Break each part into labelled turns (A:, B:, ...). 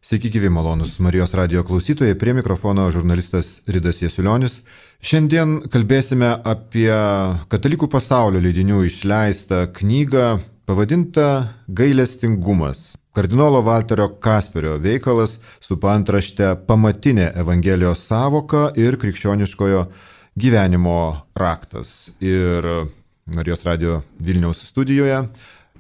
A: Sveiki gyvi malonus Marijos radijo klausytojai, prie mikrofono žurnalistas Ridas Jasiulionis. Šiandien kalbėsime apie katalikų pasaulio leidinių išleistą knygą pavadintą Gailestingumas. Kardinolo Valterio Kasperio veikalas su paantrašte Pamatinė Evangelijos sąvoka ir krikščioniškojo gyvenimo raktas. Ir Marijos radijo Vilniaus studijoje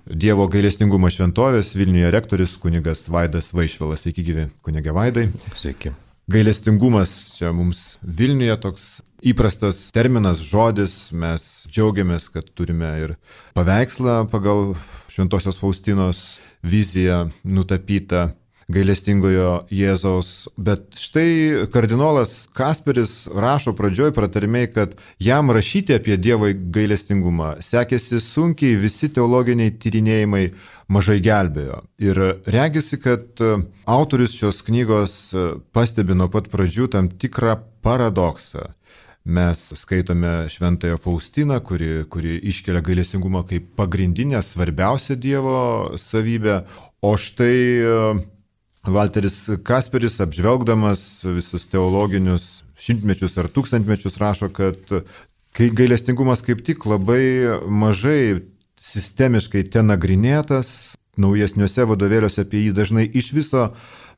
A: Dievo gailestingumo šventovės Vilniuje rektorius kunigas Vaidas Vaišvilas. Sveiki gyvi, kunige Vaidai.
B: Sveiki.
A: Gailestingumas čia mums Vilniuje toks įprastas terminas, žodis. Mes džiaugiamės, kad turime ir paveikslą pagal Šventosios Faustinos viziją nutapytą gailestingojo Jėzaus. Bet štai kardinolas Kasperis rašo pradžioj pratarmei, kad jam rašyti apie Dievo gailestingumą sekėsi sunkiai, visi teologiniai tyrinėjimai mažai gelbėjo. Ir regisi, kad autorius šios knygos pastebi nuo pat pradžių tam tikrą paradoksą. Mes skaitome Šventąją Faustiną, kuri iškelia gailestingumą kaip pagrindinę, svarbiausią Dievo savybę, o štai Valteris Kasperis, apžvelgdamas visus teologinius šimtmečius ar tūkstantmečius, rašo, kad gailestingumas kaip tik labai mažai sistemiškai ten nagrinėtas, naujesniuose vadovėliuose apie jį dažnai iš viso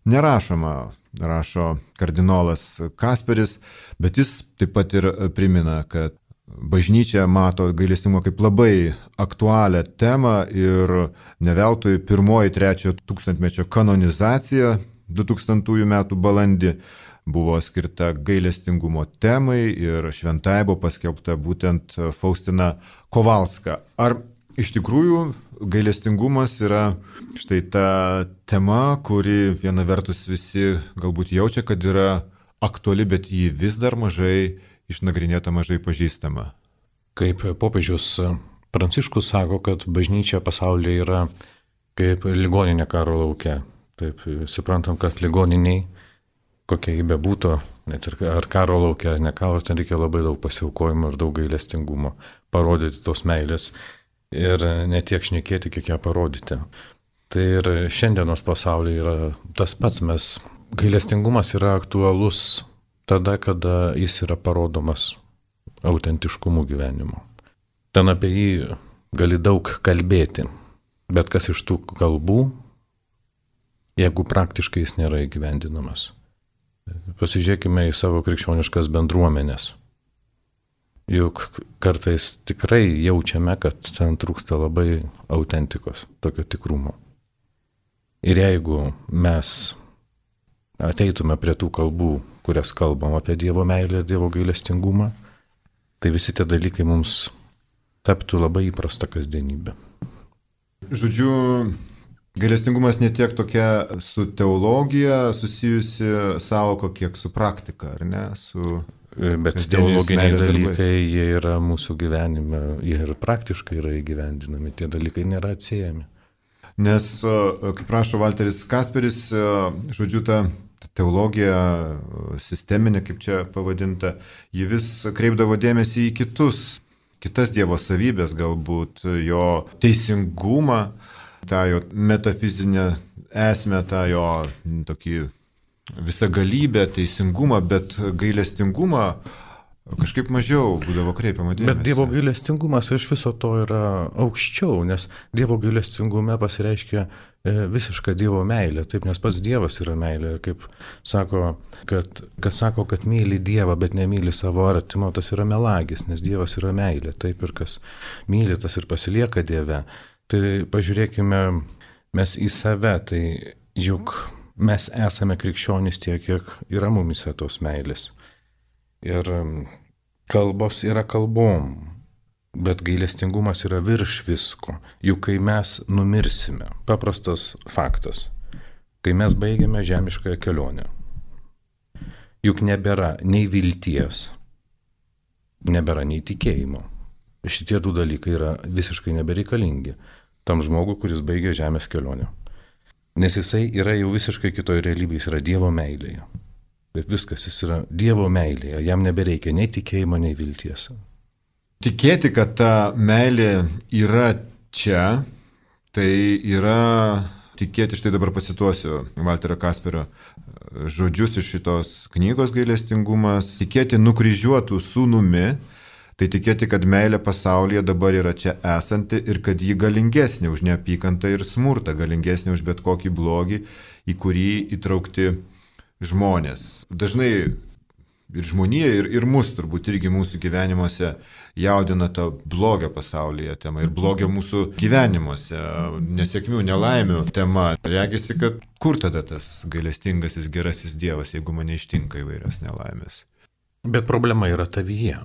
A: nerašoma, rašo kardinolas Kasperis, bet jis taip pat ir primena, kad bažnyčia mato gailestingumą kaip labai aktualią temą ir ne veltui pirmoji 3 tūkstantmečio kanonizacija 2000 metų balandį buvo skirta gailestingumo temai ir šventai buvo paskelbta būtent Faustina Kowalska. Ar iš tikrųjų gailestingumas yra štai ta tema, kuri viena vertus visi galbūt jaučia, kad yra aktuali, bet ji vis dar mažai išnagrinėta, mažai pažįstama?
B: Kaip popiežius Pranciškus sako, kad bažnyčia pasaulyje yra kaip ligoninė karo lauke. Taip, suprantam, kad ligoniniai, kokia jį bebūtų, net ir ar karo lauke, ar ne karo, ten reikia labai daug pasiaukojimo ir daug gailestingumo, parodyti tos meilės ir ne tiek šnekėti, kiek ją parodyti. Tai ir šiandienos pasaulyje yra tas pats, gailestingumas yra aktualus tada, kada jis yra parodomas autentiškumu gyvenimo. Ten apie jį gali daug kalbėti, bet kas iš tų kalbų, jeigu praktiškai jis nėra įgyvendinamas. Pasižiūrėkime į savo krikščioniškas bendruomenės. Juk kartais tikrai jaučiame, kad ten trūksta labai autentikos, tokio tikrumo. Ir jeigu mes ateitume prie tų kalbų, kurias kalbam apie Dievo meilę, Dievo gailestingumą, tai visi tie dalykai mums taptų labai įprasta kasdienybė.
A: Žodžiu, gailestingumas ne tiek tokia su teologija susijusi sąvoka, kiek su praktika, ar ne?
B: Bet teologiniai dalykai, jie yra mūsų gyvenime, jie ir praktiškai yra įgyvendinami, tie dalykai nėra atsiejami.
A: Nes, kaip rašo Valteris Kasperis, žodžiu, ta teologija sisteminė, kaip čia pavadinta, ji vis kreipdavo dėmesį į kitas Dievo savybės, galbūt jo teisingumą, tą jo metafizinę esmę, tą jo tokį visagalybę, teisingumą, bet gailestingumą kažkaip mažiau būdavo kreipiama dėmesį.
B: Bet Dievo gailestingumas iš viso to yra aukščiau, nes Dievo gailestingume pasireiškia visiška Dievo meilė, taip, nes pats Dievas yra meilė. Kaip sako, kas sako, kad myli Dievą, bet nemyli savo artimo, tas yra melagis, nes Dievas yra meilė, taip, ir kas myli, tas ir pasilieka Dieve. Tai pažiūrėkime mes į save, tai juk mes esame krikščionys tiek, kiek yra mumise tos meilės. Ir kalbos yra kalbom, bet gailestingumas yra virš visko. Juk kai mes numirsime, paprastas faktas, kai mes baigiame žemiškąją kelionę, juk nebėra nei vilties, nebėra nei tikėjimo. Šitie du dalykai yra visiškai nebereikalingi tam žmogui, kuris baigia žemės kelionę. Nes jisai yra jau visiškai kitoje realybėje, jis yra Dievo meilėje. Bet viskas, jis yra Dievo meilėje, jam nebereikia nei tikėjimo, nei vilties.
A: Tikėti, kad ta meilė yra čia, tai yra tikėti, štai dabar pacituosiu Valterio Kasperio žodžius iš šitos knygos Gailestingumas, tikėti nukryžiuotų sūnumi, tai tikėti, kad meilė pasaulyje dabar yra čia esanti ir kad ji galingesnė už neapykantą ir smurtą, galingesnė už bet kokį blogį, į kurį įtraukti žmonės. Dažnai ir žmonija, ir mus turbūt irgi mūsų gyvenimuose jaudina ta blogio pasaulyje tema ir blogio mūsų gyvenimuose, nesėkmių, nelaimių tema. Regisi, kad kur tada tas gailestingasis gerasis Dievas, jeigu mane ištinka įvairios nelaimės.
B: Bet problema yra tavyje,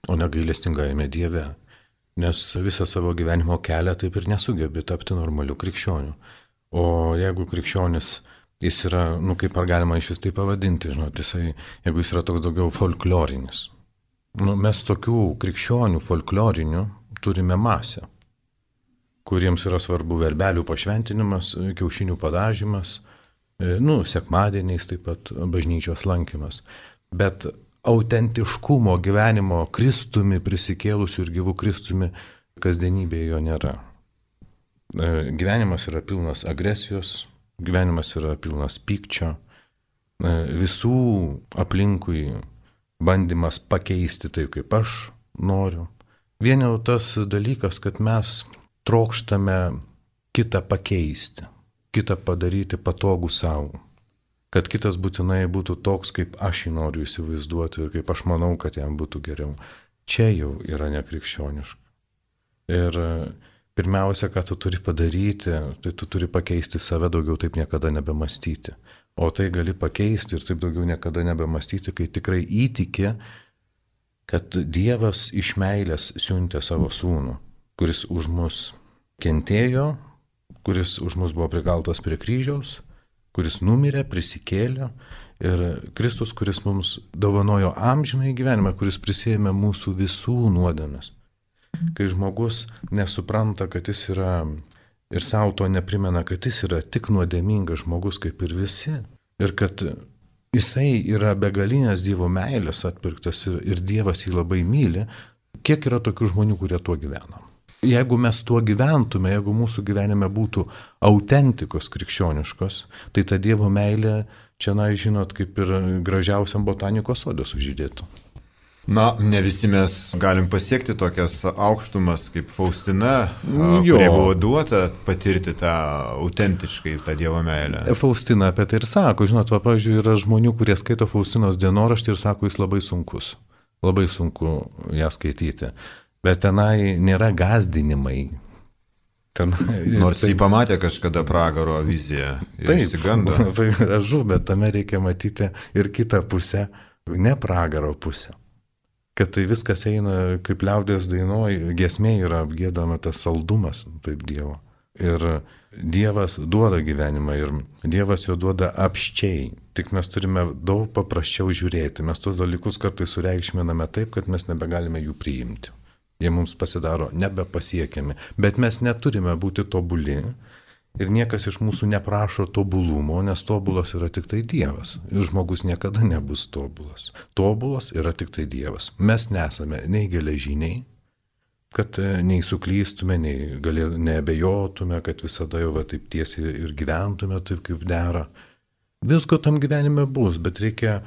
B: o ne gailestingajame Dieve, nes visą savo gyvenimo kelią taip ir nesugebi tapti normaliu krikščioniu. O jeigu krikščionis jis yra, kaip ar galima iš vis tai pavadinti, žinot, jeigu jis yra toks daugiau folklorinis. Mes tokių krikščionių folklorinių turime masę, kuriems yra svarbu verbelių pašventinimas, kiaušinių padažymas, sekmadieniais taip pat bažnyčios lankymas. Bet autentiškumo gyvenimo Kristumi prisikėlusių ir gyvų Kristumi kasdienybėje jo nėra. Gyvenimas yra pilnas agresijos, gyvenimas yra pilnas pykčio, visų aplinkui bandymas pakeisti taip, kaip aš noriu. Vien jau tas dalykas, kad mes trokštame kitą pakeisti, kitą padaryti patogų savo, kad kitas būtinai būtų toks, kaip aš jį noriu įsivaizduoti ir kaip aš manau, kad jam būtų geriau. Čia jau yra nekrikščioniška. Ir pirmiausia, ką tu turi padaryti, tai tu turi pakeisti save, daugiau taip niekada nebemastyti. O tai gali pakeisti ir taip daugiau niekada nebemastyti, kai tikrai įtiki, kad Dievas iš meilės siuntė savo sūnų, kuris už mus kentėjo, kuris už mus buvo prikaltas prie kryžiaus, kuris numirė, prisikėlė ir Kristus, kuris mums dovanojo amžinąjį gyvenimą, kuris prisiėmė mūsų visų nuodėmes. Kai žmogus nesupranta, kad jis yra ir savo to neprimena, kad jis yra tik nuodėmingas žmogus kaip ir visi ir kad jisai yra begalinės Dievo meilės atpirktas ir Dievas jį labai myli, kiek yra tokių žmonių, kurie tuo gyvena. Jeigu mes tuo gyventume, jeigu mūsų gyvenime būtų autentikos krikščioniškos, tai ta Dievo meilė čia, žinot, kaip ir gražiausiam botanikos sode sužydėtų.
A: Ne visi mes galim pasiekti tokias aukštumas kaip Faustina, kurie buvo duota patirti tą autentiškai, tą Dievo meilę.
B: Faustina apie tai ir sako, žinot, pavyzdžiui, yra žmonių, kurie skaito Faustinos dienoraštį ir sako, jis labai sunkus, labai sunku ją skaityti, bet tenai nėra gąsdinimai.
A: Nors jį pamatė kažkada pragaro viziją ir išsigando.
B: Labai gražu, bet tame reikia matyti ir kitą pusę, ne pragaro pusę. Kad tai viskas eina, kaip liaudės dainoj, giesmė yra apgiedama tas saldumas, taip Dievo. Ir Dievas duoda gyvenimą ir Dievas jo duoda apščiai. Tik mes turime daug paprasčiau žiūrėti. Mes tos dalykus kartais sureikšminame taip, kad mes nebegalime jų priimti. Jie mums pasidaro nebepasiekiami. Bet mes neturime būti tobuli. Ir niekas iš mūsų neprašo tobulumo, nes tobulas yra tik tai Dievas. Ir žmogus niekada nebus tobulas. Tobulas yra tik tai Dievas. Mes nesame nei geležiniai, kad nei suklystume, nei neabejotume, kad visada jau taip tiesiai ir gyventume taip, kaip dera. Visko tam gyvenime bus, bet reikia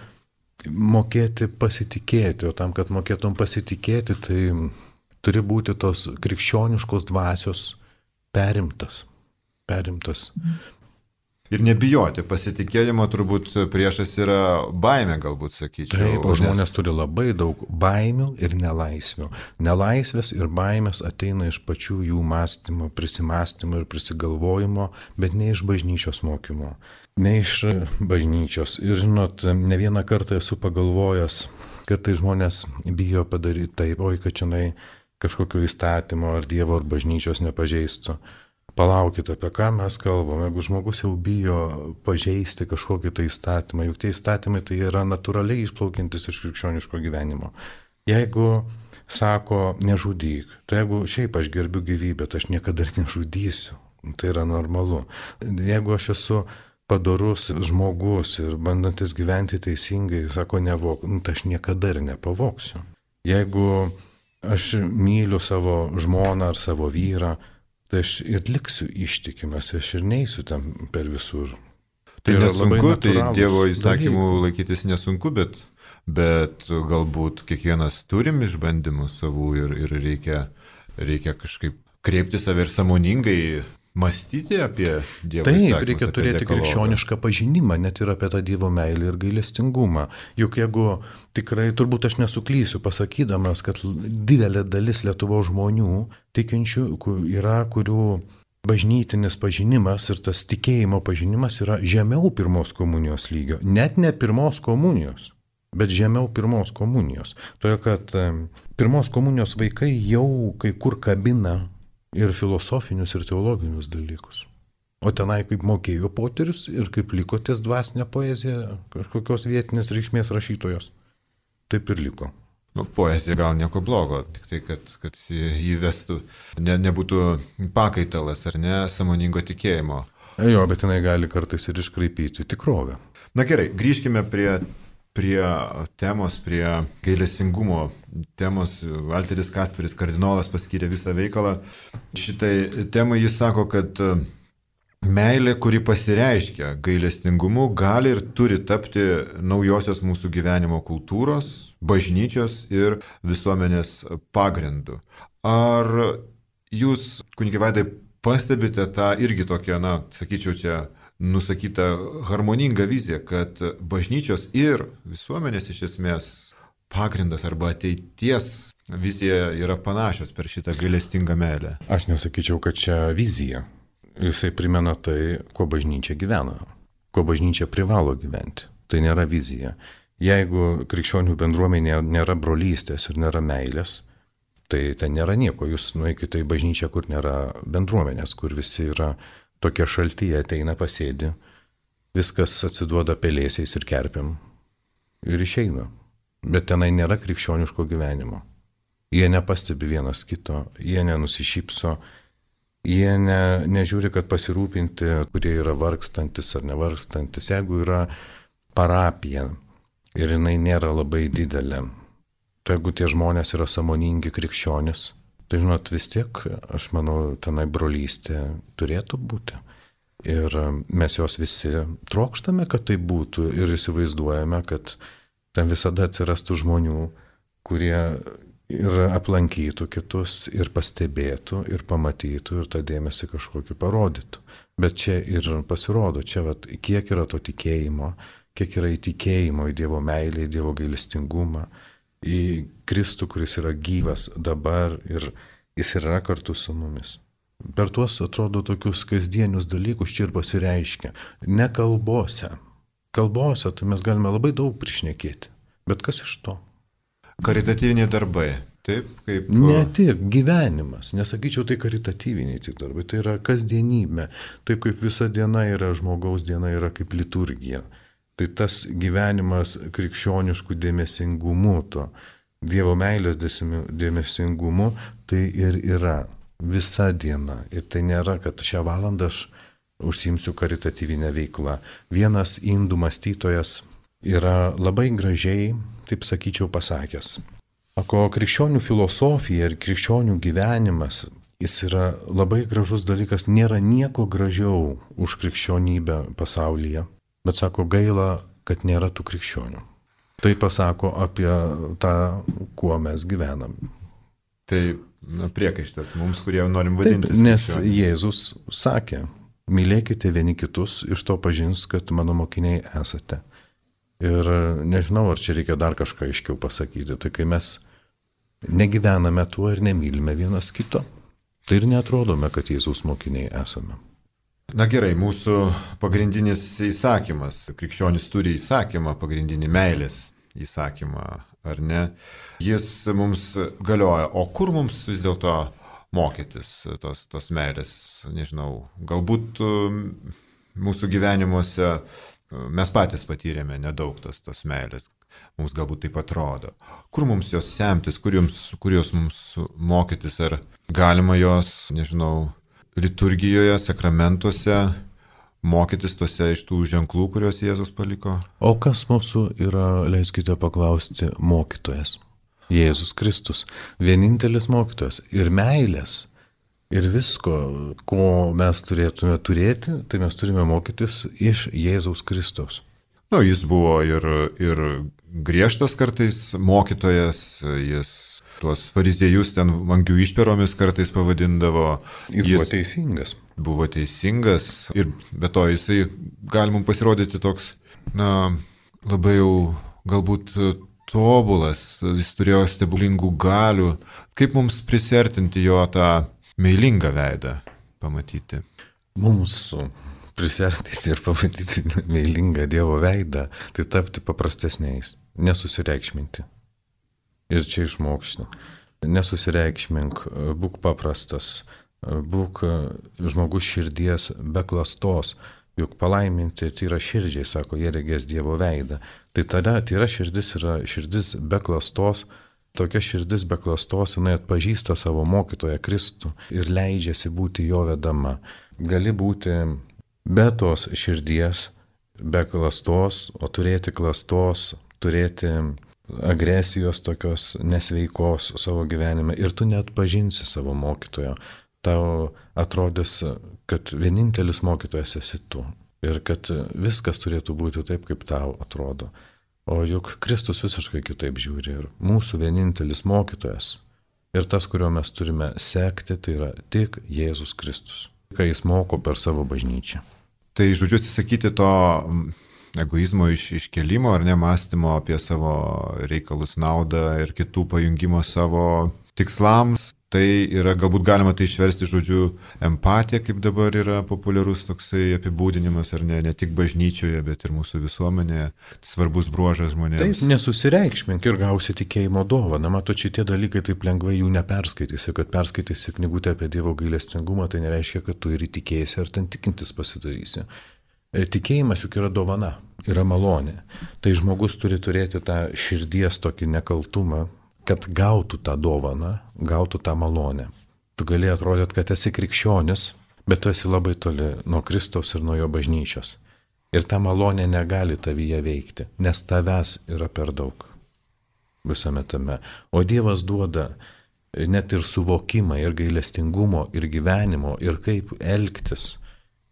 B: mokėti pasitikėti. O tam, kad mokėtum pasitikėti, tai turi būti tos krikščioniškos dvasios perimtas.
A: Ir nebijoti, pasitikėjimo turbūt priešas yra baimė, galbūt sakyčiau.
B: Taip, o žmonės turi labai daug baimių ir nelaisvių. Nelaisvės ir baimės ateina iš pačių jų mąstymo, prisimąstymo ir prisigalvojimo, bet ne iš bažnyčios mokymo, ne iš bažnyčios. Ir žinot, ne vieną kartą esu pagalvojęs, kad tai žmonės bijo padaryti taip, kad čia kažkokio įstatymo ar Dievo ar bažnyčios nepažeistų. Palaukite, apie ką mes kalbame, jeigu žmogus jau bijo pažeisti kažkokį tai įstatymą, juk tie įstatymai tai yra natūraliai išplaukiantis iš krikščioniško gyvenimo. Jeigu sako nežudyk, tai jeigu šiaip aš gerbiu gyvybę, tai aš niekada nežudysiu, tai yra normalu. Jeigu aš esu padorus žmogus ir bandantis gyventi teisingai, sako nevok, tai aš niekada ir nepavoksiu. Jeigu aš myliu savo žmoną ar savo vyrą, tai aš ir liksiu ištikimas, aš ir neįsiu ten per visur.
A: Tai
B: yra
A: nesunku, tai
B: natūralūs
A: Dievo įsakymų
B: dalykai.
A: laikytis nesunku, bet galbūt kiekvienas turim išbandymų savų ir reikia kažkaip kreipti save ir sąmoningai mąstyti apie Dievo įsakymus.
B: Taip, reikia
A: apie
B: turėti
A: dekalogą.
B: krikščionišką pažinimą, net ir apie tą Dievo meilę ir gailestingumą. Juk jeigu tikrai, turbūt aš nesuklysiu pasakydamas, kad didelė dalis Lietuvos žmonių tikinčių yra, kurių bažnytinis pažinimas ir tas tikėjimo pažinimas yra žemiau pirmos komunijos lygio. Net ne pirmos komunijos, bet žemiau pirmos komunijos. Todėl, kad pirmos komunijos vaikai jau kai kur kabina ir filosofinius, ir teologinius dalykus. O tenai kaip mokėjo poterius ir kaip liko ties dvasinė poezija kažkokios vietinės reikšmės rašytojos. Taip ir liko.
A: Poezija gal nieko blogo, tik tai, kad jį vestų, nebūtų pakaitalas ar ne sąmoningo tikėjimo.
B: Jo, bet jinai gali kartais ir iškraipyti tikrovę.
A: Na gerai, grįžkime prie temos, prie gailestingumo temos. Valteris Kasperis, kardinolas, paskyrė visą veikalą. Šitai temai jis sako, kad meilė, kuri pasireiškia gailestingumu, gali ir turi tapti naujosios mūsų gyvenimo kultūros, bažnyčios ir visuomenės pagrindu. Ar jūs, kunige Vaidai, pastebite tą irgi tokią, sakyčiau, čia nusakytą harmoningą viziją, kad bažnyčios ir visuomenės iš esmės pagrindas arba ateities vizija yra panašios per šitą gailestingą meilę?
B: Aš nesakyčiau, kad čia vizija. Jisai primena tai, kuo bažnyčia gyvena, kuo bažnyčia privalo gyventi. Tai nėra vizija. Jeigu krikščionių bendruomenė nėra brolystės ir nėra meilės, tai ten nėra nieko. Jūs nueikite į bažnyčią, kur nėra bendruomenės, kur visi yra tokie šalti, jie ateina pasėdi, viskas atsiduoda pelėsiais ir kerpiam ir išeina. Bet tenai nėra krikščioniško gyvenimo. Jie nepastebi vienas kito, jie nenusišypso, jie nežiūri, kad pasirūpinti, kurie yra vargstantis ar nevargstantis. Jeigu yra parapija ir jinai nėra labai didelė, tai jeigu tie žmonės yra sąmoningi krikščionis, tai žinot, vis tiek, aš manau, tenai brolystė turėtų būti. Ir mes jos visi trokštame, kad tai būtų ir įsivaizduojame, kad ten visada atsirastų žmonių, kurie ir aplankytų kitus, ir pastebėtų, ir pamatytų, ir tą dėmesį kažkokį parodytų. Bet čia ir pasirodo, čia kiek yra to tikėjimo, kiek yra įtikėjimo į Dievo meilę, į Dievo gailestingumą, į Kristų, kuris yra gyvas dabar ir jis yra kartu su mumis. Per tuos, atrodo, tokius kasdienius dalykus čia ir pasireiškia. Ne kalbose. Kalbose tai mes galime labai daug prišnekėti. Bet kas iš to?
A: Karitatyviniai darbai, taip? Kaip...
B: Ne tik gyvenimas, nesakyčiau tai karitatyviniai tik darbai, tai yra kasdienybė. Taip kaip visa diena yra žmogaus diena, yra kaip liturgija. Tai tas gyvenimas krikščioniškų dėmesingumu, to Dievo meilės dėmesingumu, tai ir yra visa diena. Ir tai nėra, kad šią valandą aš užsiimsiu karitatyvinę veiklą. Vienas indų mąstytojas yra labai gražiai, taip sakyčiau, pasakęs. Sako, krikščionių filosofija ir krikščionių gyvenimas, jis yra labai gražus dalykas, nėra nieko gražiau už krikščionybę pasaulyje, bet sako, gaila, kad nėra tų krikščionių. Tai pasako apie tą, kuo mes gyvenam.
A: Tai priekaištas mums, kurie norim vadintis.
B: Taip, nes Jėzus sakė, mylėkite vieni kitus, iš to pažins, kad mano mokiniai esate. Ir nežinau, ar čia reikia dar kažką aiškiau pasakyti. Tai kai mes negyvename tuo ir nemylime vienas kito, tai ir neatrodome, kad Jėzaus mokiniai esame.
A: Na gerai, mūsų pagrindinis įsakymas, krikščionis turi įsakymą, pagrindinį meilės įsakymą, ar ne? Jis mums galioja, o kur mums vis dėlto mokytis tos meilės? Nežinau, galbūt mūsų gyvenimuose mes patys patyrėme nedaug tos meilės, mums galbūt taip atrodo. Kur mums jos semtis, kur jos mums mokytis, ar galima jos, nežinau, liturgijoje, sakramentuose mokytis tose iš tų ženklų, kuriuos Jėzus paliko?
B: O kas mūsų yra, leiskite paklausti, mokytojas? Jėzus Kristus, vienintelis mokytojas. Ir meilės Ir visko, ko mes turėtume turėti, tai mes turime mokytis iš Jėzaus Kristaus.
A: Jis buvo ir griežtas kartais mokytojas, jis tuos fariziejus ten vangių išperomis kartais pavadindavo.
B: Jis buvo teisingas.
A: Buvo teisingas ir be to jisai gali mums pasirodyti toks, labai jau galbūt tobulas, jis turėjo stebuklingų galių. Kaip mums prisertinti jo tą meilingą veidą pamatyti?
B: Mums prisertinti ir pamatyti meilingą Dievo veidą, tai tapti paprastesniais, nesusireikšminti. Ir čia išmokšti. Nesusireikšmink, būk paprastas, būk žmogus širdies be klastos, juk palaiminti tyra širdžiai, sako, jie regės Dievo veidą. Tai tada tyra širdis yra širdis be klastos, tokia širdis be klastos, jinai atpažįsta savo mokytoją Kristų ir leidžiasi būti jo vedama. Gali būti be tos širdies, be klastos, o turėti klastos, turėti agresijos tokios nesveikos savo gyvenime ir tu net pažinsi savo mokytojo. Tau atrodys, kad vienintelis mokytojas esi tu ir kad viskas turėtų būti taip, kaip tau atrodo. O juk Kristus visiškai kitaip žiūri ir mūsų vienintelis mokytojas ir tas, kurio mes turime sekti, tai yra tik Jėzus Kristus, kai jis moko per savo bažnyčią.
A: Tai žodžiu atsisakyti to egoizmo iškelimo ar nemąstymo apie savo reikalus, naudą ir kitų pajungimo savo tikslams. Tai yra, galbūt galima tai išversti žodžiu empatija, kaip dabar yra populiarus toksai apibūdinimas, ar ne tik bažnyčioje, bet ir mūsų visuomenėje. Svarbus bruožas žmonėms.
B: Taip, nesusireikšmink ir gausi tikėjimo dovaną. Matot, šitie dalykai taip lengvai jų neperskaitysi, kad perskaitysi knygutę apie Dievo gailestingumą, tai nereiškia, kad tu ir įtikėsi ar ten tikintis pasidarysi. Tikėjimas juk yra dovana, yra malonė. Tai žmogus turi turėti tą širdies tokį nekaltumą, kad gautų tą dovaną, gautų tą malonę. Tu gali atrodyti, kad esi krikščionis, bet tu esi labai toli nuo Kristaus ir nuo jo bažnyčios. Ir ta malonė negali tavyje veikti, nes tavęs yra per daug visame tame. O Dievas duoda net ir suvokimą, ir gailestingumo, ir gyvenimo, ir kaip elgtis,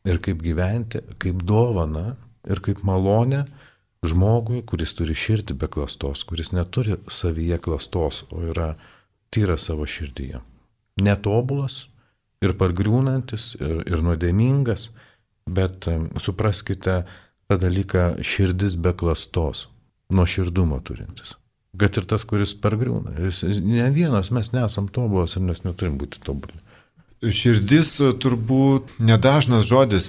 B: ir kaip gyventi, kaip dovana ir kaip malonė žmogui, kuris turi širdį be klastos, kuris neturi savyje klastos, o yra tyras savo širdyje. Netobulas ir pargriūnantis ir nuodėmingas, bet supraskite tą dalyką širdis be klastos, nuoširdumo turintis. Kad ir tas, kuris pargriūna. Ne vienas, mes nesam tobulas ir mes neturim būti tobuli.
A: Širdis turbūt nedažnas žodis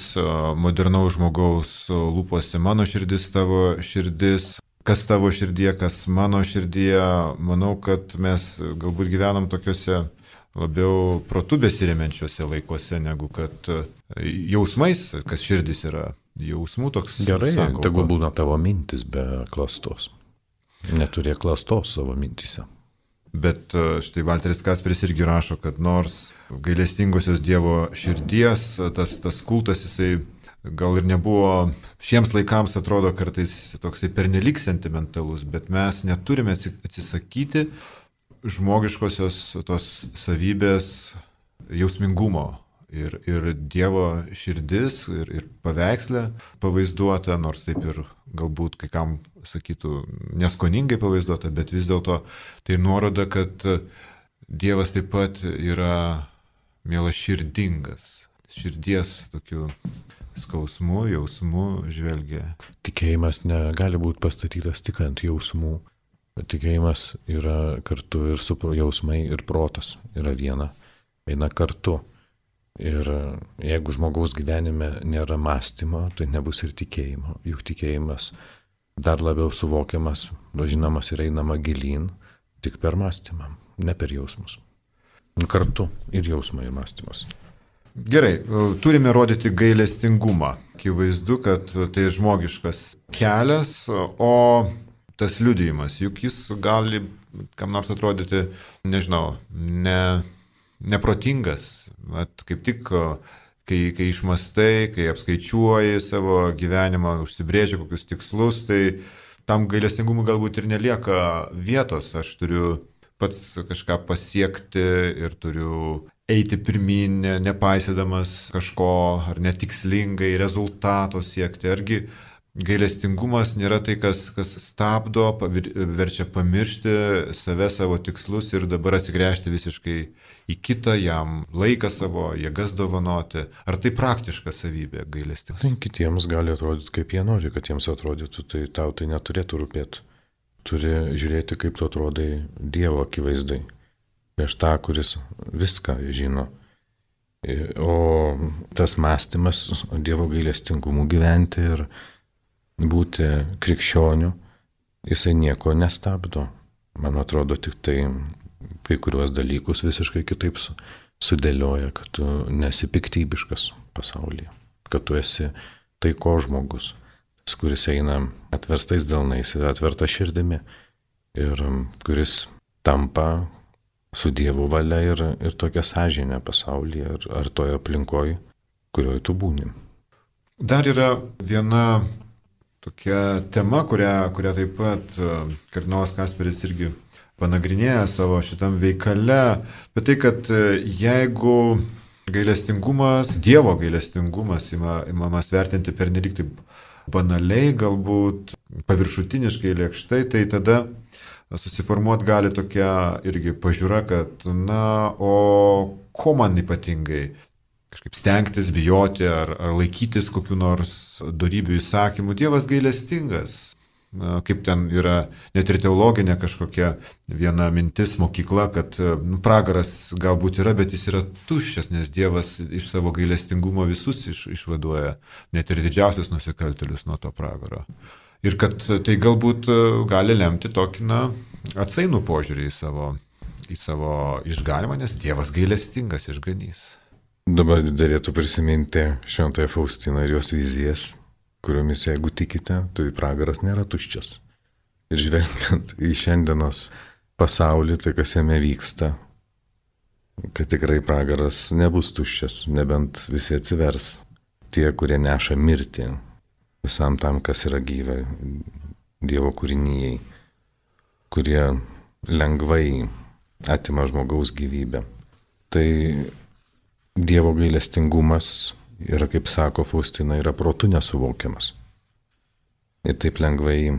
A: modernaus žmogaus lūpose. Mano širdis, tavo širdis, kas tavo širdie, kas mano širdie. Manau, kad mes galbūt gyvenam tokiuose labiau protu besiremiančiuose laikuose, negu kad jausmais, kas širdis yra. Jausmų toks.
B: Gerai, tegul būna tavo mintis be klastos. Neturėk klastos savo mintise.
A: Bet štai Valteris Kasperis irgi rašo, kad nors gailestingosios Dievo širdies, tas kultas, jisai gal ir nebuvo, šiems laikams atrodo kartais toksai pernelik sentimentalus, bet mes neturime atsisakyti žmogiškosios tos savybės jausmingumo. Ir Dievo širdis, ir paveikslė pavaizduota, nors taip ir galbūt kai kam sakytų neskoningai pavaizduota, bet vis dėlto tai nuoroda, kad Dievas taip pat yra mielaširdingas, širdies tokiu skausmu, jausmu žvelgia.
B: Tikėjimas negali būti pastatytas tik ant jausmų. Tikėjimas yra kartu ir su jausmai, ir protas yra viena, eina kartu. Ir jeigu žmogaus gyvenime nėra mąstymo, tai nebus ir tikėjimo. Juk tikėjimas dar labiau suvokiamas, važinamas ir einama gilyn tik per mąstymą, ne per jausmus. Kartu ir jausmai, ir mąstymas.
A: Gerai, turime rodyti gailestingumą. Akivaizdu, kad tai žmogiškas kelias, o tas liudijimas, juk jis gali kam nors atrodyti, nežinau, neprotingas. Vat kaip tik, kai išmastai, kai apskaičiuoji savo gyvenimą, užsibrėži kokius tikslus, tai tam gailestingumui galbūt ir nelieka vietos. Aš turiu pats kažką pasiekti ir turiu eiti pirmin, nepaisydamas kažko ar netikslingai rezultato siekti. Argi gailestingumas nėra tai, kas stabdo, verčia pamiršti save, savo tikslus ir dabar atsigręžti visiškai į kitą, jam laiką savo, jėgas dovanoti. Ar tai praktiška savybė gailestingumas?
B: Tai kitiems gali atrodyti, kaip jie nori, kad jiems atrodytų, tai tau tai neturėtų rūpėti. Turi žiūrėti, kaip tu atrodai Dievo akivaizdai. Prieš tą, kuris viską žino. O tas mąstymas Dievo gailestingumu gyventi ir būti krikščioniu, jisai nieko nestabdo. Man atrodo, tik tai kai kuriuos dalykus visiškai kitaip sudėlioja, kad tu nesi piktybiškas pasaulyje, kad tu esi taiko žmogus, kuris eina atverstais delnais ir atverta širdimi ir kuris tampa su Dievo valia ir tokia sąžinė pasaulyje ar toje aplinkoje, kurioje tu būni.
A: Dar yra viena tokia tema, kurią taip pat kardinolas Kasperis irgi panagrinėja savo šitam veikale, bet tai, kad jeigu gailestingumas, Dievo gailestingumas imamas vertinti pernelyg taip banaliai, galbūt paviršutiniškai, lėkštai, tai tada susiformuoti gali tokia irgi pažiūra, kad o ko man ypatingai kažkaip stengtis, bijoti ar laikytis kokiu nors dorybių įsakymų. Dievas gailestingas. Kaip ten yra net ir teologinė kažkokia viena mintis mokykla, kad pragaras galbūt yra, bet jis yra tuščias, nes Dievas iš savo gailestingumo visus išvaduoja, net ir didžiausius nusikaltėlius nuo to pragaro. Ir kad tai galbūt gali lemti tokį atsainų požiūrį į savo išganimą, nes Dievas gailestingas išganys.
B: Dabar derėtų prisiminti Šventąją Faustiną ir jos vizijas, kuriomis jeigu tikite, tai pragaras nėra tuščias. Ir žvelgiant į šiandienos pasaulį, tai kas jame vyksta, kad tikrai pragaras nebus tuščias, nebent visi atsivers tie, kurie neša mirtį visam tam, kas yra gyva Dievo kūrinyjei, kurie lengvai atima žmogaus gyvybę. Tai Dievo gailestingumas yra, kaip sako Faustina, yra protu nesuvokiamas. Ir taip lengvai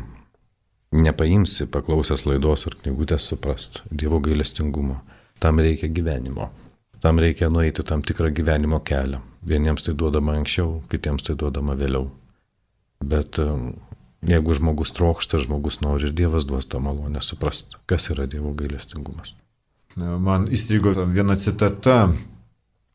B: nepaimsi paklausęs laidos ar knygutės suprast Dievo gailestingumo. Tam reikia gyvenimo. Tam reikia nueiti tam tikrą gyvenimo kelią. Vieniems tai duodama anksčiau, kitiems tai duodama vėliau. Bet jeigu žmogus trokšta, žmogus nori ir Dievas duos tą malonę suprast, kas yra Dievo gailestingumas.
A: Man įstrigo viena citata.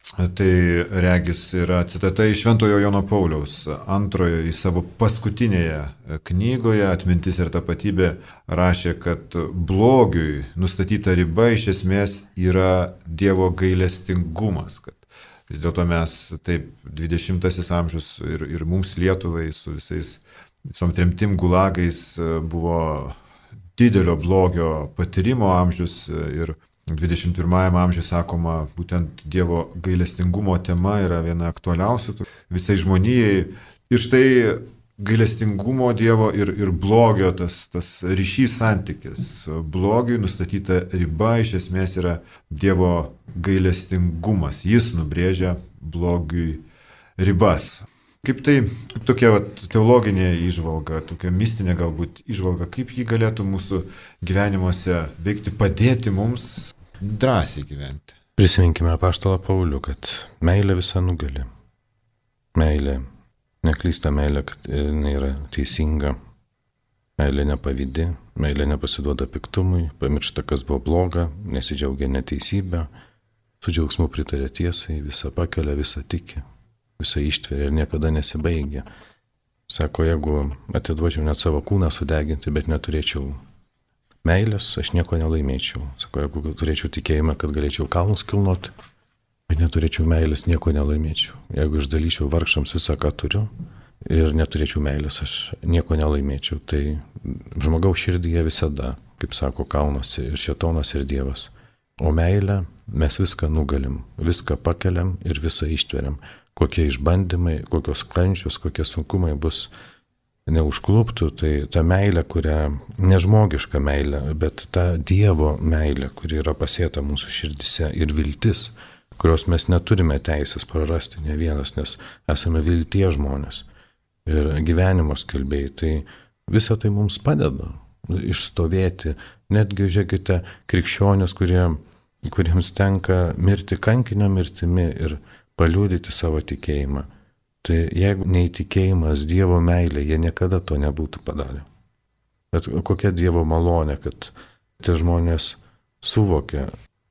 A: Tai regis yra citata iš Šventojo Jono Pauliaus antrojo į savo paskutinėje knygoje Atmintis ir tapatybė rašė, kad blogiui nustatyta riba iš esmės yra Dievo gailestingumas, kad vis dėlto mes taip 20 amžius ir mums Lietuvai su visom tremtim gulagais buvo didelio blogio patyrimo amžius ir 21 amžiuje, sakoma, būtent Dievo gailestingumo tema yra viena aktualiausių visai žmonijai. Ir štai gailestingumo Dievo ir blogio tas ryšys santykis. Blogiui nustatyta riba iš esmės yra Dievo gailestingumas. Jis nubrėžia blogiui ribas. Kaip tai, tokia teologinė įžvalga, tokia mistinė galbūt įžvalga, kaip ji galėtų mūsų gyvenimuose veikti, padėti mums drąsiai gyventi.
B: Prisiminkime apaštalą Paulių, kad meilė visa nugali. Meilė neklysta, meilė, kad jinai yra teisinga, meilė nepavydi, meilė nepasiduoda piktumui, pamiršta, kas buvo bloga, nesidžiaugia neteisybę, su džiaugsmu pritarė tiesai, visą pakelia, visą tiki. Visą ištveria ir niekada nesibaigia. Sako, jeigu atiduočiau net savo kūną sudeginti, bet neturėčiau meilės, aš nieko nelaimėčiau. Sako, jeigu turėčiau tikėjimą, kad galėčiau kalnus kilnoti, bet neturėčiau meilės, nieko nelaimėčiau. Jeigu išdalyčiau vargšams visą, ką turiu ir neturėčiau meilės, aš nieko nelaimėčiau. Tai žmogaus širdyje visada, kaip sako, kaunasi ir šėtonas ir Dievas. O meilę mes viską nugalim, viską pakeliam ir visą ištveriam. Kokie išbandymai, kokios kančios, kokie sunkumai bus neužkluptų, tai ta meilė, nežmogiška meilė, bet ta Dievo meilė, kuri yra pasėta mūsų širdise ir viltis, kurios mes neturime teisės prarasti ne vienas, nes esame vilties žmonės ir gyvenimo skelbėjai. Tai visa tai mums padeda išstovėti. Netgi, žiūrėkite, krikščionys, kuriems tenka mirti kankinio mirtimi ir paliudyti savo tikėjimą. Tai jeigu neįtikėjimas Dievo meilė, jie niekada to nebūtų padarę. Bet kokia Dievo malonė, kad tie žmonės suvokė,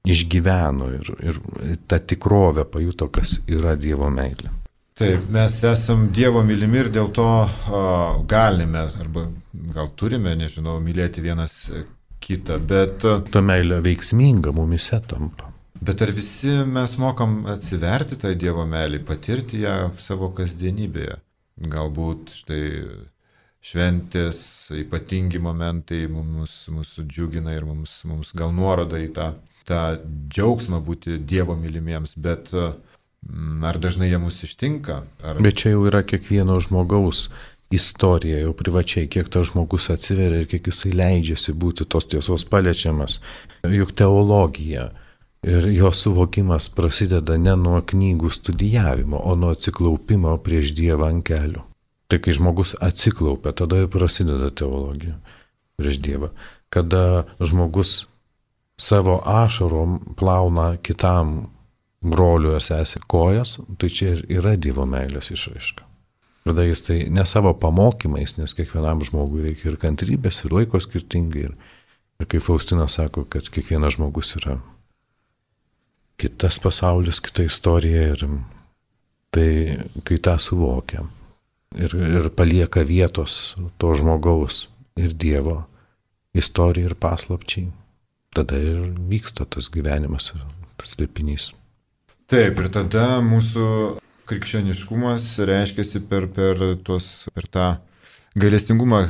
B: išgyveno ir tą tikrovę pajuto, kas yra Dievo meilė.
A: Taip, mes esam Dievo mylimi ir dėl to galime, arba gal turime, nežinau, mylėti vienas kitą, bet...
B: Ta meilė veiksminga mumise tampa.
A: Bet ar visi mes mokam atsiverti tą Dievo meilį, patirti ją savo kasdienybėje? Galbūt štai šventės, ypatingi momentai mūsų džiugina ir mums gal nuoroda į tą džiaugsmą būti Dievo mylimiems, bet ar dažnai jie mus ištinka?
B: Bet čia jau yra kiekvieno žmogaus istorija, jau privačiai, kiek tas žmogus atsiveria ir kiek jisai leidžiasi būti tos tiesos paliečiamas. Juk teologija ir jo suvokimas prasideda ne nuo knygų studijavimo, o nuo atsiklaupimo prieš Dievą ant kelių. Tai kai žmogus atsiklaupia, tada ir prasideda teologija prieš Dievą. Kada žmogus savo ašarom plauna kitam broliu ar sesė kojas, tai čia ir yra Dievo meilės išraiška. Kada jis tai ne savo pamokymais, nes kiekvienam žmogui reikia ir kantrybės, ir laiko skirtingai. Ir kaip Faustina sako, kad kiekvienas žmogus yra kitas pasaulis, kita istorija. Ir tai, kai tą suvokia ir palieka vietos to žmogaus ir Dievo istorijai ir paslapčiai, tada ir vyksta tas gyvenimas ir tas slėpinys.
A: Taip, ir tada mūsų krikščioniškumas reiškiasi per tą gailestingumą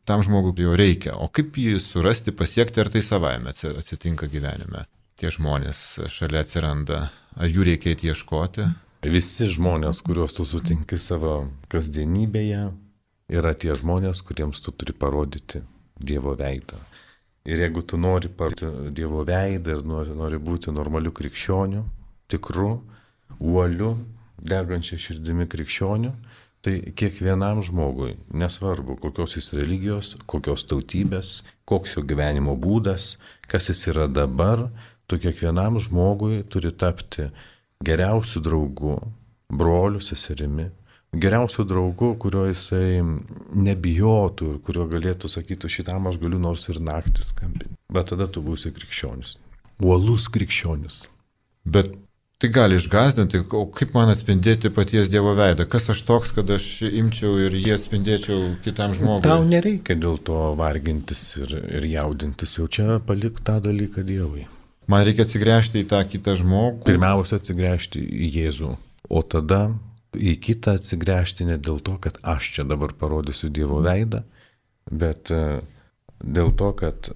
A: tam žmogui jo reikia. O kaip jį surasti, pasiekti, ar tai savaime atsitinka gyvenime? Tie žmonės šalia atsiranda, ar jų reikia ieškoti?
B: Visi žmonės, kuriuos tu sutinki savo kasdienybėje, yra tie žmonės, kuriems tu turi parodyti Dievo veidą. Ir jeigu tu nori parodyti Dievo veidą ir nori būti normaliu krikščioniu, tikru, uoliu, degančia širdimi krikščioniu, tai kiekvienam žmogui, nesvarbu kokios jis religijos, kokios tautybės, koks jo gyvenimo būdas, kas jis yra dabar, tu kiekvienam žmogui turi tapti geriausiu draugu, broliu, seserimi, geriausiu draugu, kurio jisai nebijotų ir kurio galėtų sakyti, šitam aš galiu nors ir naktį skambinti. Bet tada tu būsi krikščionis. Uolus krikščionis.
A: Bet tai gali išgąsdinti, o kaip man atspindėti paties Dievo veidą? Kas aš toks, kad aš imčiau ir jį atspindėčiau kitam žmogui?
B: Tau nereikia dėl to vargintis ir jaudintis, jau čia palik tą dalyką Dievui.
A: Man reikia atsigręžti į tą kitą žmogų.
B: Pirmiausia atsigręžti į Jėzų, o tada į kitą atsigręžti ne dėl to, kad aš čia dabar parodysiu Dievo veidą, bet dėl to, kad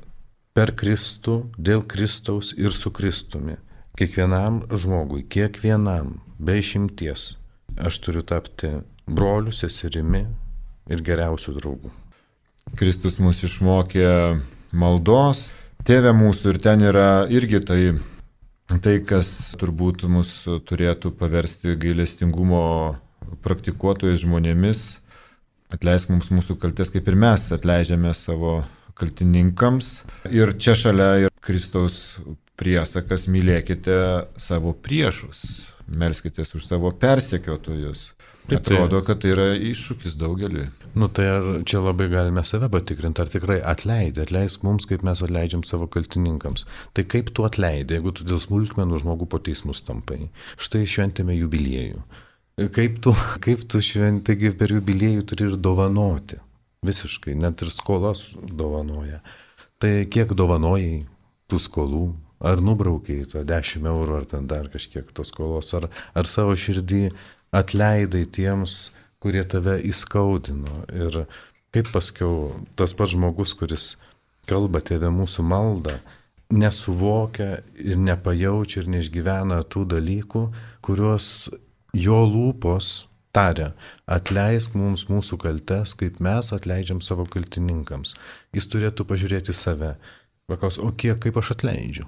B: per Kristų, dėl Kristaus ir su Kristumi. Kiekvienam žmogui, kiekvienam, be išimties, aš turiu tapti broliu, seserimi ir geriausiu draugu.
A: Kristus mus išmokė maldos, Tėve mūsų, ir ten yra irgi tai, kas turbūt mus turėtų paversti gailestingumo praktikuotojais žmonėmis. Atleisk mums mūsų kaltes, kaip ir mes atleidžiame savo kaltininkams. Ir čia šalia yra Kristaus priesakas: mylėkite savo priešus, melskitės už savo persekiotojus. Atrodo, kad tai yra iššūkis daugeliui.
B: Tai čia labai galime save patikrinti, ar tikrai atleisk mums, kaip mes atleidžiam savo kaltininkams. Tai kaip tu atleidai, jeigu tu dėl smulkmenų žmogų po teismus tampai? Štai šventėme jubiliejų. Kaip tu šventėgi per jubiliejų turi ir dovanoti? Visiškai, net ir skolas dovanoja. Tai kiek dovanojai tų skolų? Ar nubraukiai tą 10 eurų, ar ten dar kažkiek tos skolos, ar savo širdį atleidai tiems, kurie tave įskaudino? Ir kaip paskiau tas pats žmogus, kuris kalba Tėve mūsų maldą, nesuvokia ir nepajaučia ir neišgyvena tų dalykų, kuriuos jo lūpos taria: atleisk mums mūsų kaltes, kaip mes atleidžiam savo kaltininkams. Jis turėtų pažiūrėti save. Paklaus, kaip aš atleidžiu?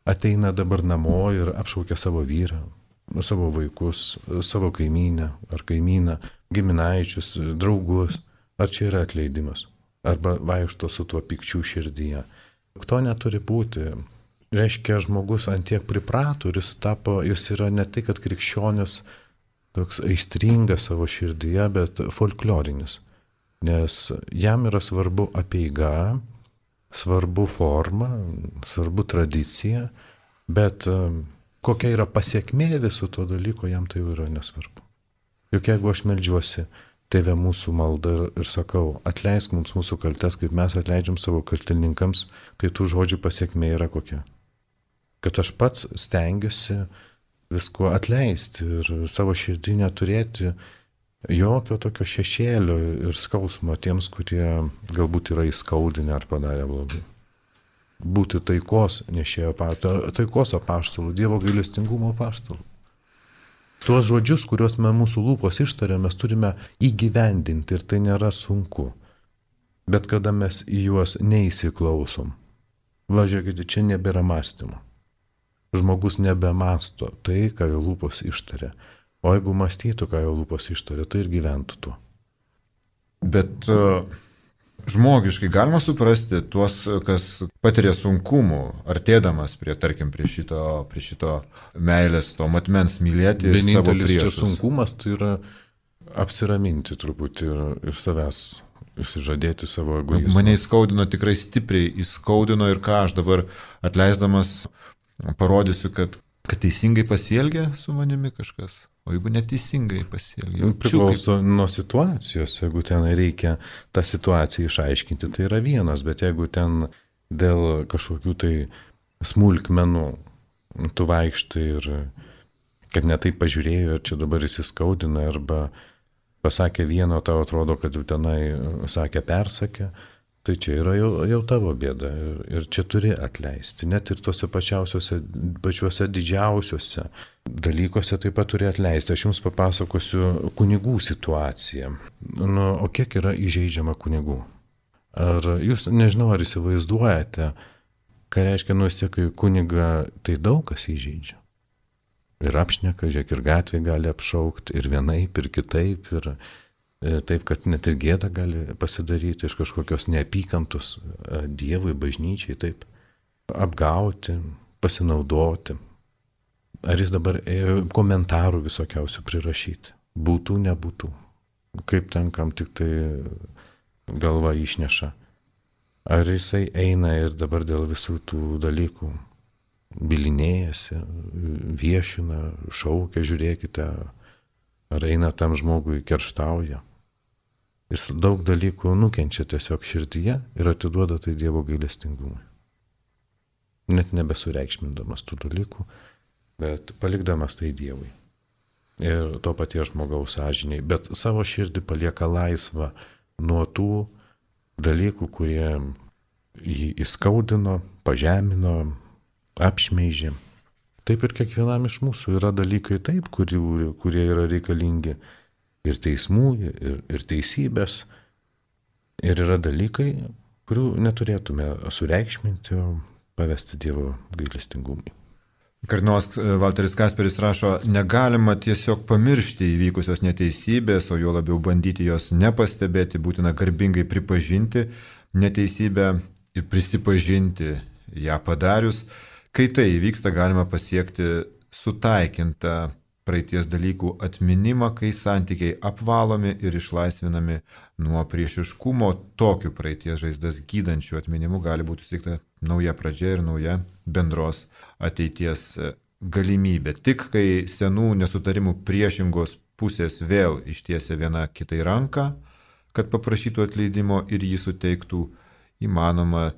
B: ateina dabar namo ir apšaukia savo vyrą, savo vaikus, savo kaimynę ar kaimyną, giminaičius, draugus. Ar čia yra atleidimas? Arba vaikšto su tuo pikčiu širdyje. To neturi būti. Reiškia, žmogus antiek priprato ir jis yra ne tai, kad krikščionis toks aistringas savo širdyje, bet folklorinis. Nes jam yra svarbu apeiga, svarbu forma, svarbu tradicija, bet kokia yra pasiekmė viso to dalyko, jam tai yra nesvarbu. Juk jeigu aš meldžiuosi Tėve mūsų maldą ir sakau, atleisk mums mūsų kaltes, kaip mes atleidžiam savo kaltininkams, tai tų žodžių pasiekmė yra kokia. Kad aš pats stengiuosi visko atleisti ir savo širdį neturėti jokio tokio šešėlio ir skausmo tiems, kurie galbūt yra įskaudinę ar padarę blogai. Būti taikos nešėjo taikos apaštalų, Dievo gailestingumo apaštalų. Tuos žodžius, kuriuos mūsų lūpos ištaria, mes turime įgyvendinti ir tai nėra sunku. Bet kada mes į juos neįsiklausom, važiuokite, čia nebėra mąstymo. Žmogus nebemasto tai, ką jo lūpos ištaria. O jeigu mąstytų, ką jo lūpos ištaria, tai ir gyventų tuo.
A: Bet žmogiškai galima suprasti tuos, kas patiria sunkumų, artėdamas prie šito meilės, to matmens mylėti savo priešus.
B: Vienintelis čia sunkumas tai yra apsiraminti truputį ir savęs išsižadėti savo egoizmą.
A: Mane įskaudino, tikrai stipriai įskaudino ir ką aš dabar atleisdamas parodysiu, kad teisingai pasielgia su manimi kažkas. O jeigu neteisingai pasielgia?
B: Priklauso nuo situacijos. Jeigu ten reikia tą situaciją išaiškinti, tai yra vienas, bet jeigu ten dėl kažkokių tai smulkmenų tu vaikštai ir kad netai pažiūrėjo ir čia dabar įsiskaudina arba pasakė vieno, tau atrodo, kad jau tenai sakė persakė, tai čia yra jau tavo bėda ir čia turi atleisti. Net ir tuose pačiuose didžiausiuose dalykuose taip pat turi atleisti. Aš jums papasakosiu kunigų situaciją. O kiek yra įžeidžiama kunigų? Ar jūs, nežinau, ar įsivaizduojate, ką reiškia kai kunigą tai daug kas įžeidžia. Ir apšneka, žiūrėk, ir gatvė gali apšaukti, ir vienaip, ir kitaip, ir taip, kad net ir gėda gali pasidaryti iš kažkokios neapykantos Dievui, bažnyčiai, taip, apgauti, pasinaudoti. Ar jis dabar komentarų visokiausių prirašyti? Būtų, nebūtų. Kaip ten kam tik tai galva išneša. Ar jisai eina ir dabar dėl visų tų dalykų bilinėjasi, viešina, šaukia, žiūrėkite, ar eina tam žmogui kerštauja. Jis daug dalykų nukenčia tiesiog širdyje ir atiduoda tai Dievo gailestingumui. Net nebesureikšmindamas tų dalykų, bet palikdamas tai Dievui. Ir to paties žmogaus sąžiniai. Bet savo širdį palieka laisvą nuo tų dalykų, kurie jį įskaudino, pažemino, apšmeižė. Taip ir kiekvienam iš mūsų yra dalykai taip, kurie yra reikalingi ir teismų, ir teisybės. Ir yra dalykai, kurių neturėtume sureikšminti, o pavesti Dievo gailestingumui.
A: Kardinolas Valteris Kasperis rašo, negalima tiesiog pamiršti įvykusios neteisybės, o jo labiau bandyti jos nepastebėti, būtina garbingai pripažinti neteisybę ir prisipažinti ją padarius. Kai tai įvyksta, galima pasiekti sutaikintą praeities dalykų atminimą, kai santykiai apvalomi ir išlaisvinami nuo priešiškumo. Tokiu praeities žaizdas gydančių atminimu gali būti suteikta nauja pradžia ir nauja bendros ateities galimybė. Tik kai senų nesutarimų priešingos pusės vėl ištiesia viena kitai ranką, kad paprašytų atleidimo ir jį suteiktų, įmanoma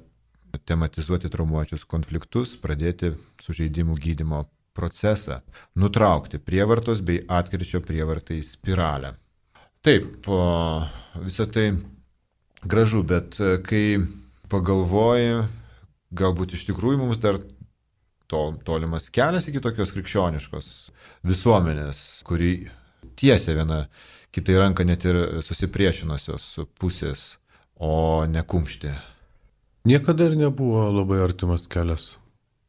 A: tematizuoti traumuojančius konfliktus, pradėti sužeidimų gydymo procesą, nutraukti prievartos bei atkirčio prievartai spiralę. Taip, visą tai gražu, bet kai pagalvoji, galbūt iš tikrųjų mums dar tolimas kelias iki tokios krikščioniškos visuomenės, kuri tiesia viena kitai ranką net ir susipriešinusios pusės, o ne kumštė.
B: Niekada ir nebuvo labai artimas kelias.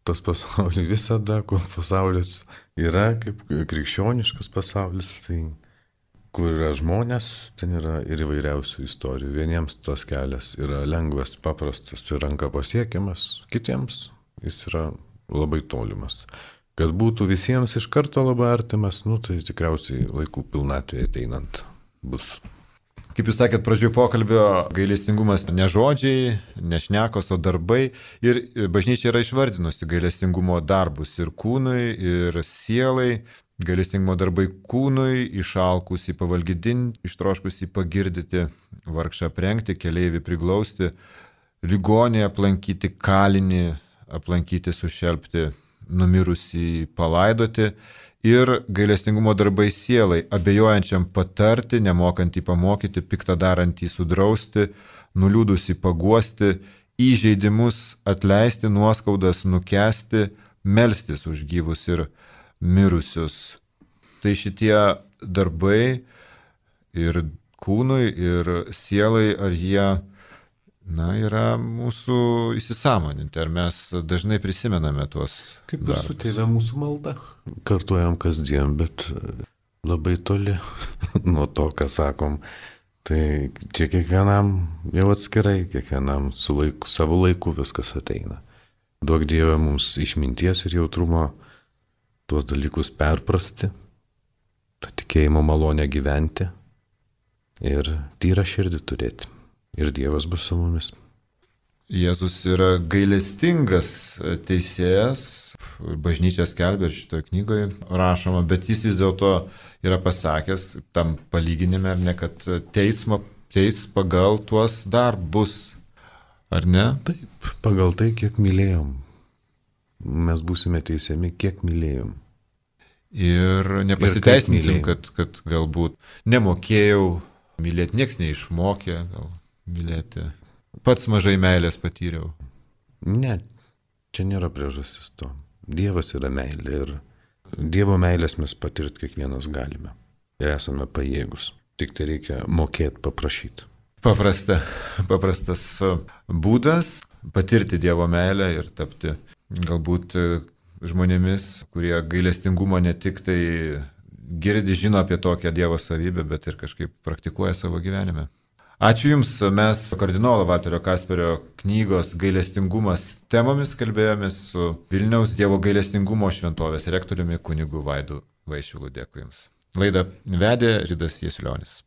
B: tas pasaulis visada, kur pasaulis yra kaip krikščioniškas pasaulis, tai kur yra žmonės, ten yra ir įvairiausių istorijų. Vieniems tas kelias yra lengvas, paprastas ir ranka pasiekiamas, kitiems jis yra labai tolimas. Kad būtų visiems iš karto labai artimas, tai tikriausiai laikų pilnatvėje ateinant bus.
A: Kaip jūs sakėt pradžioje pokalbio, gailestingumas ne žodžiai, ne šnekos, o darbai. Ir bažnyčia yra išvardinusi gailestingumo darbus ir kūnui, ir sielai. Gailestingumo darbai kūnui, išalkusį pavalgydinti, ištroškusį pagirdyti, vargšą aprengti, keleivį priglausti, ligonį aplankyti, kalinį aplankyti, sušelpti, numirusį palaidoti. Ir gailestingumo darbai sielai, abejojančiam patarti, nemokantį pamokyti, piktą darantį sudrausti, nuliūdusį paguosti, įžeidimus atleisti, nuoskaudas nukęsti, melstis už gyvus ir mirusius. Tai šitie darbai ir kūnui, ir sielai, ar jie yra mūsų įsisąmoninti, ar mes dažnai prisimename tuos
B: Kaip ir su tėve mūsų malda. Kartuojam kasdien, bet labai toli nuo to, ką sakom. Tai čia kiekvienam jau atskirai, kiekvienam savo laiku viskas ateina. Duok Dieve mums išminties ir jautrumo tuos dalykus perprasti, tą tikėjimo malonę gyventi ir tyrą širdį turėti. Ir Dievas bus su mumis.
A: Jėzus yra gailestingas teisėjas, bažnyčia skelbia ir šitoje knygoje rašoma, bet jis vis dėlto yra pasakęs tam palyginime, ar ne, kad teis pagal tuos darbus, ar ne?
B: Taip, pagal tai, kiek mylėjom. Mes būsime teisiami, kiek mylėjom.
A: Ir nepasiteisinsim, kad galbūt nemokėjau mylėti, nieks neišmokė gal mylėti. Pats mažai meilės patyriau.
B: Ne, čia nėra priežastis to. Dievas yra meilė ir Dievo meilės mes patirti kiekvienas galime. Ir esame pajėgus. Tik tai reikia mokėti, paprašyti.
A: Paprastas būdas patirti Dievo meilę ir tapti galbūt žmonėmis, kurie gailestingumą ne tik tai girdi, žino apie tokią Dievo savybę, bet ir kažkaip praktikuoja savo gyvenime. Ačiū Jums, mes kardinolo Valterio Kasperio knygos Gailestingumas temomis kalbėjomės su Vilniaus Dievo gailestingumo šventovės rektoriumi kunigu Vaidu Vaišvilu. Dėkui Jums. Laidą vedė Ridas Jasiulionis.